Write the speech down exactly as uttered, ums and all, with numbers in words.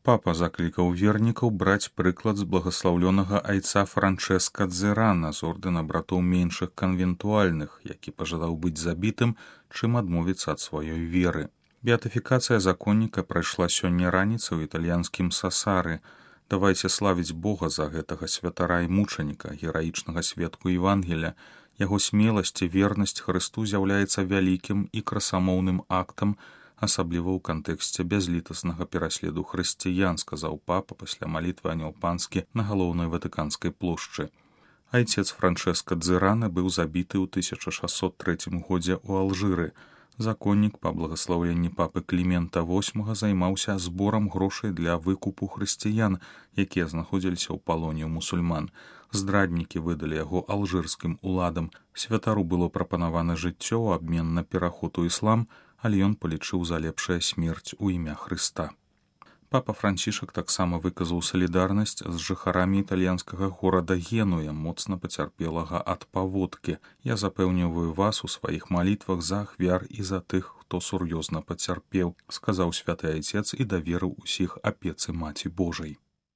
Папа заклікаў вернікаў браць прыклад з благаслаўлёнага айца Франчэска Дзерана з ордэна братоў меншых канвентуальных, які пажадаў быць забітым, чым адмовіцца ад сваёй веры. Беатыфікацыя законніка прайшла сёння раніцай у італьянскім Сасары. Давайце славіць Бога за гэтага святара і мучаніка, гераічнага сведку Евангелія. Яго смеласць і вернасць Хрысту з'яўляецца вялікім і красамоўным актам, асабліва ў кантэксце бязлітаснага пераследу хрысціян, сказаў папа пасля малітвы Анёл Панскі на галоўнай ватыканскай плошчы. Айцец Франчэска Дзерана быў забіты ў тысяча шасцьсот трэцім годзе ў Алжыры. Законнік па благаслаўленні папы Клімента восьмага займаўся зборам грошай для выкупу хрысціян, якія знаходзіліся ў палоне ў мусульман. Здраднікі выдалі яго алжырскім уладам. Святару было прапанавана жыццё ў абмен на пераход у іслам, але ён палічыў за лепшая смерць у імя Хрыста. Папа Францішак таксама выказаў салідарнасць з жыхарамі італьянскага горада Генуя, моцна пацярпелага ад паводкі. Я запэўніваю вас у сваіх малітвах за ахвяр і за тых, хто сур'ёзна пацярпеў, сказаў святы айцец і даверыў усіх апецы Маці Божай.